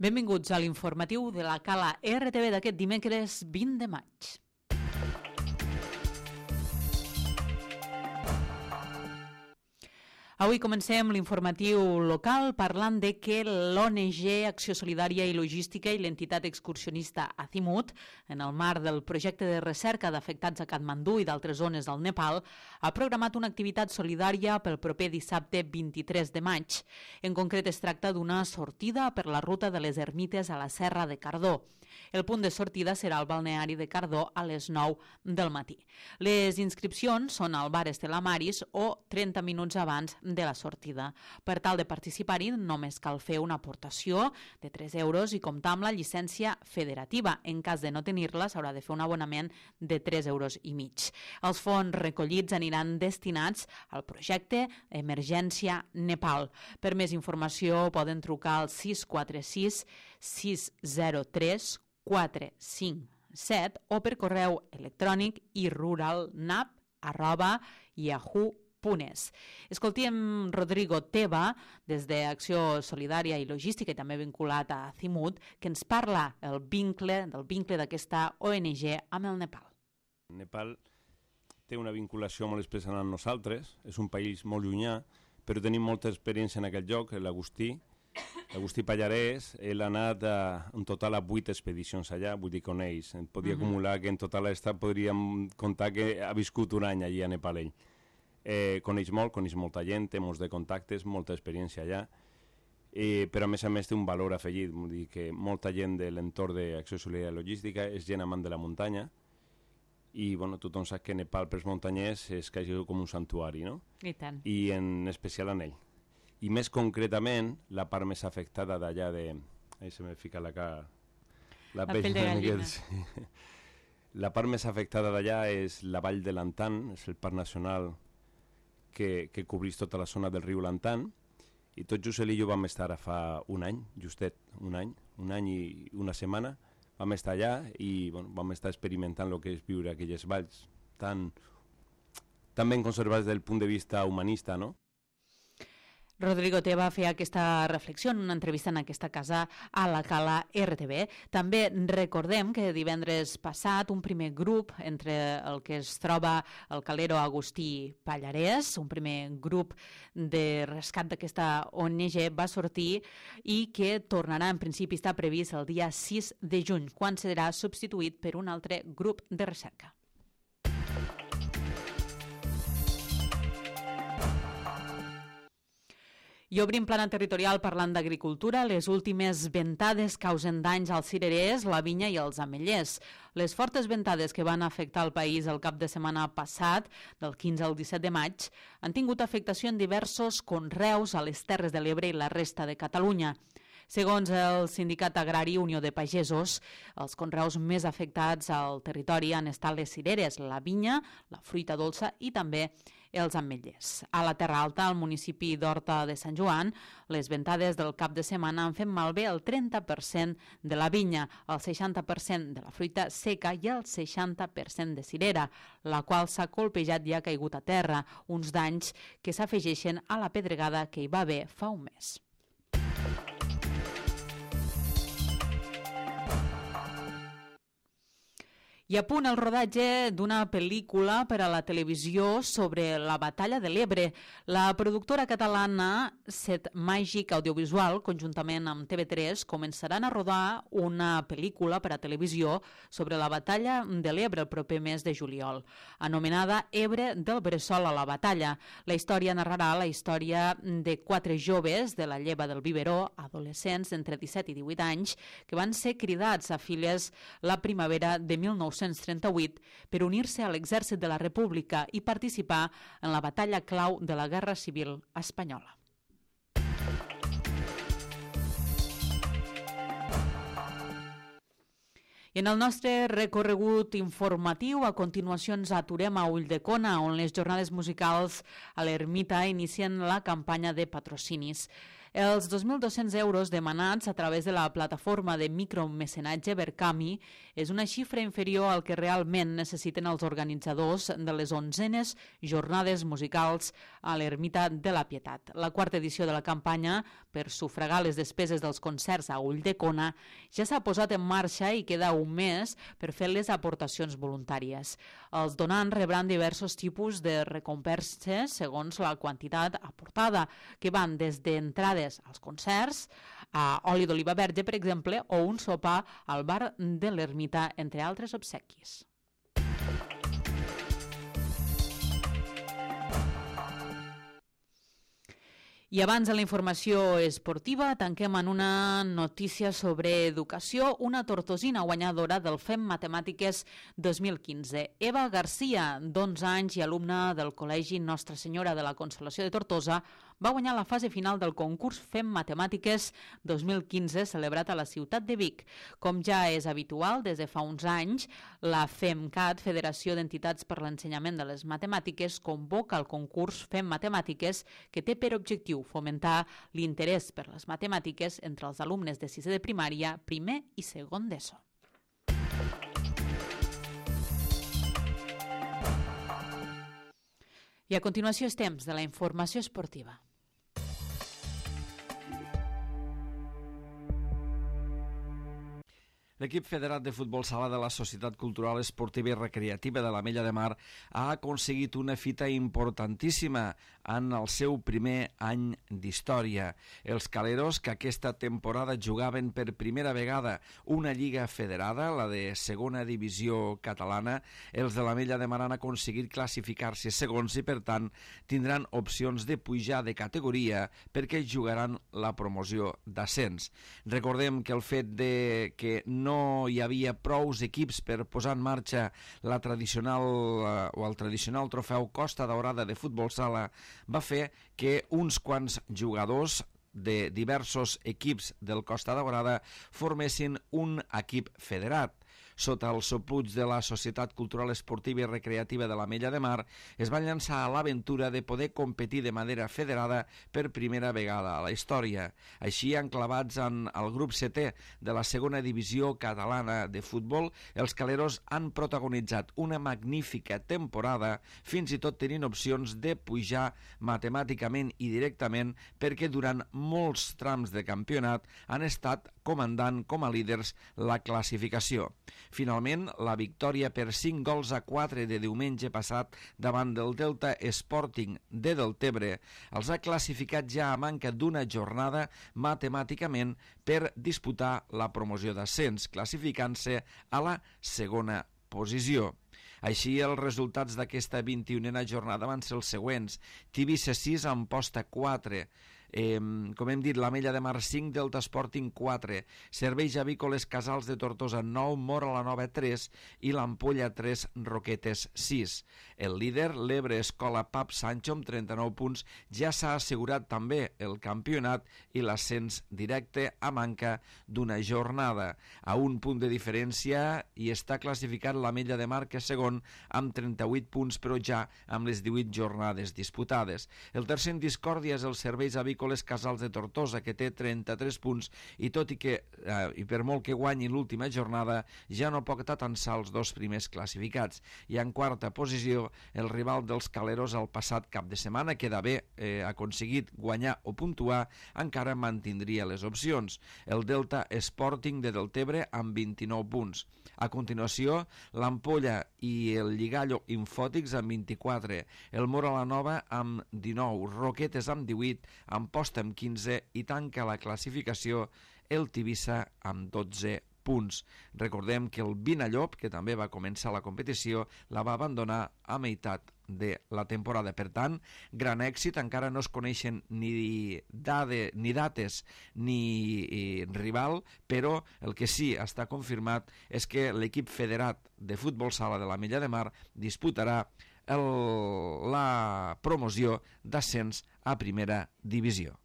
Benvinguts a l'informatiu de la Cala RTV d'aquest dimecres 20 de maig. Avui comencem l'informatiu local parlant de que l'ONG Acció Solidària i Logística i l'entitat excursionista Azimut, en el marc del projecte de recerca d'afectats a Katmandú i d'altres zones del Nepal, ha programat una activitat solidària pel proper dissabte 23 de maig. En concret es tracta d'una sortida per la ruta de les ermites a la Serra de Cardó. El punt de sortida serà al balneari de Cardó a les 9 del matí. Les inscripcions són al bar Estela Maris o 30 minuts abans de la sortida. Per tal de participar-hi només cal fer una aportació de 3 euros i comptar amb la llicència federativa. En cas de no tenir-la s'haurà de fer un abonament de 3,5 euros. Els fons recollits aniran destinats al projecte Emergència Nepal. Per més informació poden trucar al 646 603 457 o per correu electrònic iruralnap@yahoo.es. Escoltem Rodrigo Teba, des d'Acció Solidària i Logística i també vinculat a Azimut, que ens parla del vincle d'aquesta ONG amb el Nepal. Nepal té una vinculació molt especial amb nosaltres, és un país molt llunyà, però tenim molta experiència en aquest lloc. L'Agustí Pallarès, ell ha anat en total a 8 expedicions allà, vull dir que coneix, podia acumular que en total podríem comptar que ha viscut un any allà a Nepal ell. Coneix molta gent, té molts de contactes, molta experiència allà, però a més té un valor afegit, vull dir que molta gent de l'entorn d'Acció Solidària i Logística és gent amant de la muntanya i tothom sap que Nepal pels muntanyers és quasi com un santuari, no? I tant. I en especial en ell. I més concretament, la part més afectada d'allà de... Ahí se me fica la cara... La pell de gallina. Sí. La part més afectada d'allà és la vall de l'Antan, és el parc nacional que cobreix tota la zona del riu Lantan, i tot just ell i jo vam estar fa un any, justet un any i una setmana, vam estar allà i vam estar experimentant el que és viure aquelles valls tan ben conservades des del punt de vista humanista, no? Rodrigo Teba feia aquesta reflexió en una entrevista en aquesta casa a la Cala RTV. També recordem que divendres passat un primer grup entre el que es troba el calero Agustí Pallarès, un primer grup de rescat d'aquesta ONG va sortir i que tornarà, en principi està previst el dia 6 de juny, quan serà substituït per un altre grup de recerca. I obrim plana territorial parlant d'agricultura. Les últimes ventades causen danys als cirerers, la vinya i els ametllers. Les fortes ventades que van afectar el país el cap de setmana passat, del 15 al 17 de maig, han tingut afectació en diversos conreus a les Terres de l'Ebre i la resta de Catalunya. Segons el Sindicat Agrari Unió de Pagesos, els conreus més afectats al territori han estat les cireres, la vinya, la fruita dolça i també els ametllers. A la Terra Alta, al municipi d'Horta de Sant Joan, les ventades del cap de setmana han fet malbé el 30% de la vinya, el 60% de la fruita seca i el 60% de cirera, la qual s'ha colpejat i ha caigut a terra, uns danys que s'afegeixen a la pedregada que hi va haver fa un mes. I a punt el rodatge d'una pel·lícula per a la televisió sobre la batalla de l'Ebre. La productora catalana Set Màgic Audiovisual, conjuntament amb TV3, començaran a rodar una pel·lícula per a televisió sobre la batalla de l'Ebre el proper mes de juliol, anomenada Ebre del Bressol a la batalla. La història narrarà la història de 4 joves de la lleva del Biberó, adolescents d'entre 17 i 18 anys, que van ser cridats a files la primavera de 1938 per unir-se a l'exèrcit de la República i participar en la batalla clau de la Guerra Civil Espanyola. I en el nostre recorregut informatiu, a continuació ens aturem a Ulldecona, on les jornades musicals a l'Ermita inicien la campanya de patrocinis. Els 2.200 euros demanats a través de la plataforma de micromecenatge Verkami és una xifra inferior al que realment necessiten els organitzadors de les 11enes jornades musicals a l'Ermita de la Pietat. La quarta edició de la campanya per sufragar les despeses dels concerts a Ulldecona ja s'ha posat en marxa i queda un mes per fer les aportacions voluntàries. Els donants rebran diversos tipus de recompenses segons la quantitat aportada, que van des d'entrades als concerts, a oli d'oliva verge, per exemple, o un sopar al bar de l'Ermita, entre altres obsequis. I abans de la informació esportiva, tanquem en una notícia sobre educació, una tortosina guanyadora del FEM Matemàtiques 2015. Eva Garcia, d'11 anys i alumna del Col·legi Nostra Senyora de la Consolació de Tortosa, va guanyar la fase final del concurs FEM Matemàtiques 2015 celebrat a la ciutat de Vic. Com ja és habitual, des de fa uns anys, la FEMCAT, Federació d'Entitats per l'Ensenyament de les Matemàtiques, convoca el concurs FEM Matemàtiques, que té per objectiu fomentar l'interès per les matemàtiques entre els alumnes de sisè de primària, primer i segon d'ESO. I a continuació és temps de la informació esportiva. L'equip federat de futbol sala de la Societat Cultural Esportiva i Recreativa de l'Ametlla de Mar ha aconseguit una fita importantíssima en el seu primer any d'història. Els caleros, que aquesta temporada jugaven per primera vegada una lliga federada, la de segona divisió catalana, els de l'Ametlla de Mar han aconseguit classificar-se segons i, per tant, tindran opcions de pujar de categoria perquè jugaran la promoció d'ascens. Recordem que el fet de que no hi havia prous equips per posar en marxa el tradicional trofeu Costa Daurada de futbol sala va fer que uns quants jugadors de diversos equips del Costa Daurada formessin un equip federat. Sota el sopluig de la Societat Cultural Esportiva i Recreativa de l'Ametlla de Mar, es van llançar a l'aventura de poder competir de manera federada per primera vegada a la història. Així, enclavats en el grup 7è de la segona divisió catalana de futbol, els caleros han protagonitzat una magnífica temporada, fins i tot tenint opcions de pujar matemàticament i directament, perquè durant molts trams de campionat han estat comandant com a líders la classificació. Finalment, la victòria per 5-4 de diumenge passat davant del Delta Sporting de Deltebre els ha classificat ja a manca d'una jornada matemàticament per disputar la promoció d'ascens, classificant-se a la segona posició. Així, els resultats d'aquesta 21a jornada van ser els següents: Tivissa 6, Amposta 4, com hem dit, l'Ametlla de Mar 5, Delta Sporting 4, Serveis Avícoles Casals de Tortosa 9, Móra la Nova 3 i l'Ampolla 3, Roquetes 6. El líder, l'Ebre Escola Pap Sancho, amb 39 punts, ja s'ha assegurat també el campionat i l'ascens directe a manca d'una jornada. A un punt de diferència hi està classificat l'Ametlla de Mar, que és segon, amb 38 punts, però ja amb les 18 jornades disputades. El tercer en discòrdia és el Serveis Avícoles Casals de Tortosa, que té 33 punts, i tot i que, i per molt que guanyi l'última jornada, ja no pot atansar els dos primers classificats. I en quarta posició, el rival dels caleros el passat cap de setmana, que d'haver aconseguit guanyar o puntuar, encara mantindria les opcions. El Delta Sporting de Deltebre amb 29 punts. A continuació, l'Ampolla i el Lligallo Infòtics amb 24, el Móra la Nova amb 19, Roquetes amb 18, Amposta amb 15 i tanca la classificació el Tivissa amb 12 punts. Recordem que el Vinallop, que també va començar la competició, la va abandonar a meitat de la temporada. Per tant, gran èxit, encara no es coneixen ni dates ni rival, però el que sí està confirmat és que l'equip federat de futbol sala de l'Ametlla de Mar disputarà la promoció d'ascens a primera divisió.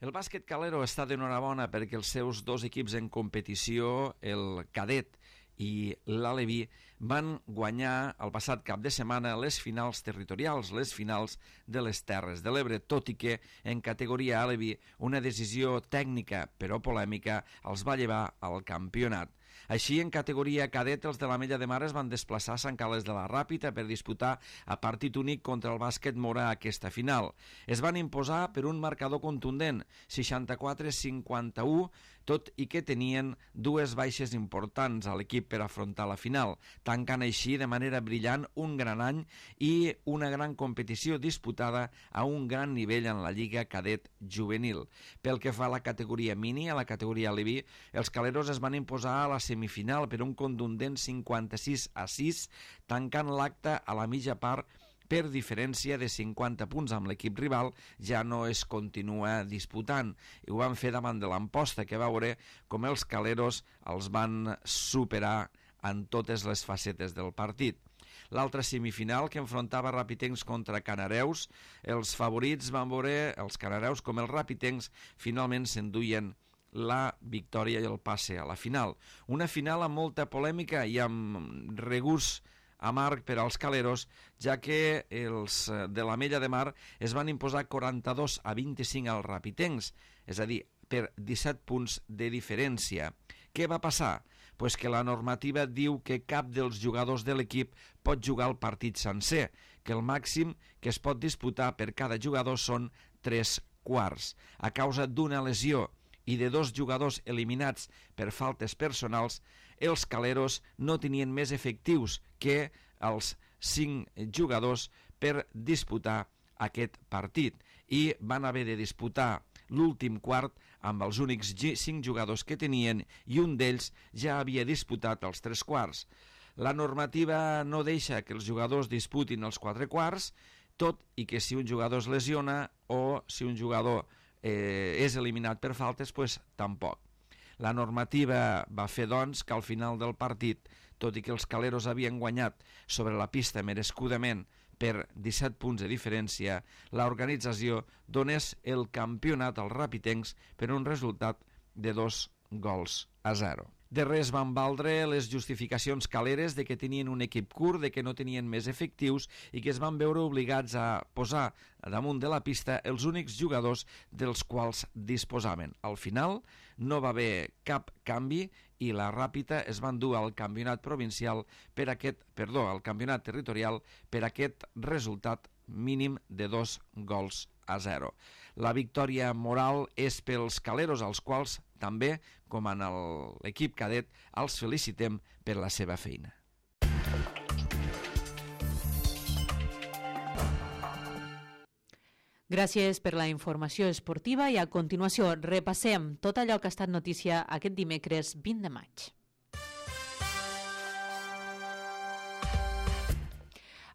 El bàsquet calero està d'enhorabona perquè els seus dos equips en competició, el cadet i l'Aleví van guanyar el passat cap de setmana les finals territorials, les finals de les Terres de l'Ebre, tot i que en categoria Aleví una decisió tècnica però polèmica els va llevar al campionat. Així, en categoria cadet, els de l'Ametlla de Mar es van desplaçar a Sant Carles de la Ràpita per disputar a partit únic contra el bàsquet Mora aquesta final. Es van imposar per un marcador contundent, 64-51, tot i que tenien dues baixes importants a l'equip per afrontar la final, tancant així de manera brillant un gran any i una gran competició disputada a un gran nivell en la Lliga Cadet Juvenil. Pel que fa a la categoria mini, a la categoria Aleví, els caleros es van imposar a la semifinal per un contundent 56-6, tancant l'acte a la mitja part per diferència de 50 punts amb l'equip rival, ja no es continua disputant. I ho van fer davant de l'Amposta, que va veure com els caleros els van superar en totes les facetes del partit. L'altra semifinal, que enfrontava Rapitencs contra Canareus, els favorits van veure els Canareus com els Rapitencs finalment s'enduien la victòria i el passe a la final. Una final amb molta polèmica i amb regust amarg per als caleros, ja que els de l'Ametlla de Mar es van imposar 42-25 als rapitencs, és a dir, per 17 punts de diferència. Què va passar? Pues que la normativa diu que cap dels jugadors de l'equip pot jugar el partit sencer, que el màxim que es pot disputar per cada jugador són 3 quarts. A causa d'una lesió i de 2 jugadors eliminats per faltes personals, els caleros no tenien més efectius que els 5 jugadors per disputar aquest partit i van haver de disputar l'últim quart amb els únics 5 jugadors que tenien i un d'ells ja havia disputat els 3 quarts. La normativa no deixa que els jugadors disputin els 4 quarts, tot i que si un jugador es lesiona o si un jugador és eliminat per faltes, doncs tampoc. La normativa va fer, doncs, que al final del partit, tot i que els caleros havien guanyat sobre la pista merescudament per 17 punts de diferència, l'organització donés el campionat als rapitencs per un resultat de 2-0. De res van valdre les justificacions caleres de que tenien un equip curt, de que no tenien més efectius i que es van veure obligats a posar damunt de la pista els únics jugadors dels quals disposaven. Al final no va haver cap canvi i la Ràpita es van dur al campionat provincial al campionat territorial per aquest resultat mínim de 2-0. La victòria moral és pels caleros, als quals també, com en l'equip cadet, els felicitem per la seva feina. Gràcies per la informació esportiva i a continuació repassem tot allò que ha estat notícia aquest dimecres 20 de maig.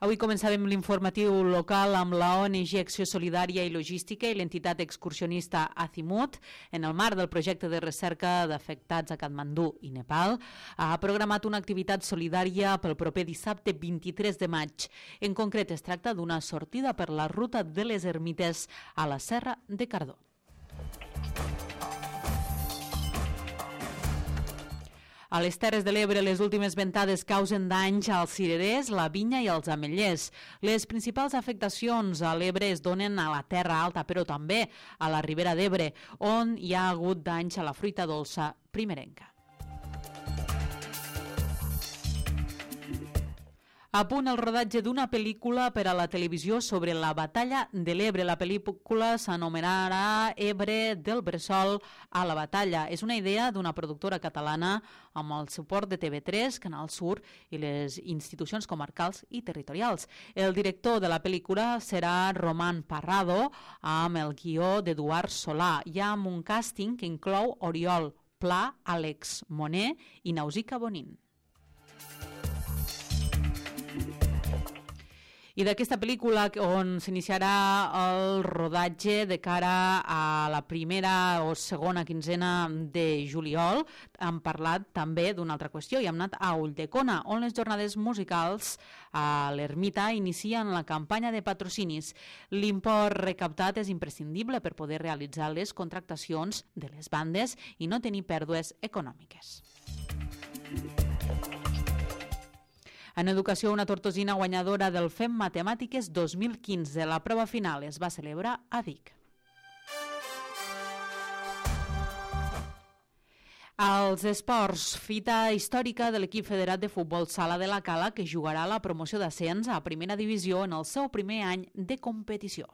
Avui començàvem l'informatiu local amb la ONG Acció Solidària i Logística i l'entitat excursionista Azimut, en el marc del projecte de recerca d'afectats a Katmandú i Nepal, ha programat una activitat solidària pel proper dissabte 23 de maig. En concret, es tracta d'una sortida per la ruta de les ermites a la Serra de Cardó. A les Terres de l'Ebre, les últimes ventades causen danys als cirerers, la vinya i als ametllers. Les principals afectacions a l'Ebre es donen a la Terra Alta, però també a la Ribera d'Ebre, on hi ha hagut danys a la fruita dolça primerenca. A punt el rodatge d'una pel·lícula per a la televisió sobre la batalla de l'Ebre. La pel·lícula s'anomenarà Ebre del Bressol a la batalla. És una idea d'una productora catalana amb el suport de TV3, Canal Sur i les institucions comarcals i territorials. El director de la pel·lícula serà Roman Parrado, amb el guió d'Eduard Solà i amb un càsting que inclou Oriol Pla, Àlex Moner i Nausica Bonin. I d'aquesta pel·lícula on s'iniciarà el rodatge de cara a la primera o segona quinzena de juliol, hem parlat també d'una altra qüestió i hem anat a Ulldecona, on les jornades musicals a l'Ermita inicien la campanya de patrocinis. L'import recaptat és imprescindible per poder realitzar les contractacions de les bandes i no tenir pèrdues econòmiques. En educació, una tortosina guanyadora del FEM Matemàtiques 2015. La prova final es va celebrar a Vic. Als esports, fita històrica de l'equip federat de futbol Sala de la Cala, que jugarà la promoció d'ascens a primera divisió en el seu primer any de competició.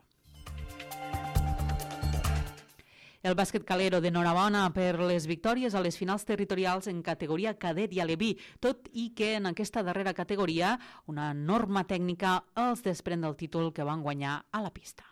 El bàsquet calero d'enhorabona per les victòries a les finals territorials en categoria cadet i aleví, tot i que en aquesta darrera categoria una norma tècnica els desprèn del títol que van guanyar a la pista.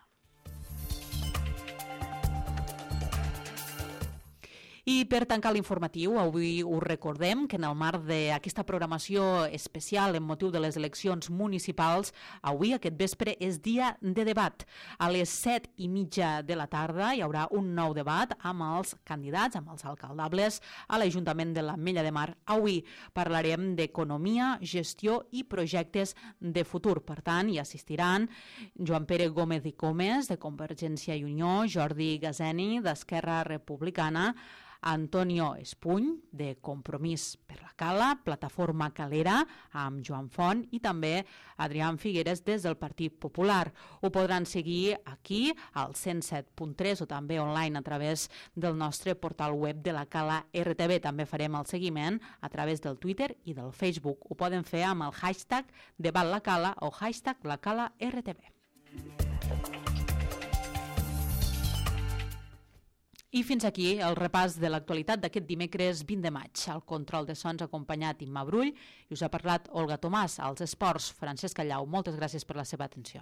I per tancar l'informatiu, avui us recordem que en el marc d'aquesta programació especial en motiu de les eleccions municipals, avui aquest vespre és dia de debat. A les 7:30 de la tarda hi haurà un nou debat amb els candidats, amb els alcaldables a l'Ajuntament de l'Ametlla de Mar. Avui parlarem d'economia, gestió i projectes de futur. Per tant, hi assistiran Joan Pere Gómez i Comes, de Convergència i Unió, Jordi Gazeni, d'Esquerra Republicana, Antonio Espuny, de Compromís per la Cala, Plataforma Calera, amb Joan Font, i també Adrián Figueres des del Partit Popular. Ho podran seguir aquí, al 107.3, o també online a través del nostre portal web de la Cala RTV. També farem el seguiment a través del Twitter i del Facebook. Ho poden fer amb el hashtag #DebatLaCala o hashtag #LaCalaRTV. I fins aquí el repàs de l'actualitat d'aquest dimecres 20 de maig. Al control de sons acompanyat Imma Brull i us ha parlat Olga Tomàs. Als esports, Francesc Callau. Moltes gràcies per la seva atenció.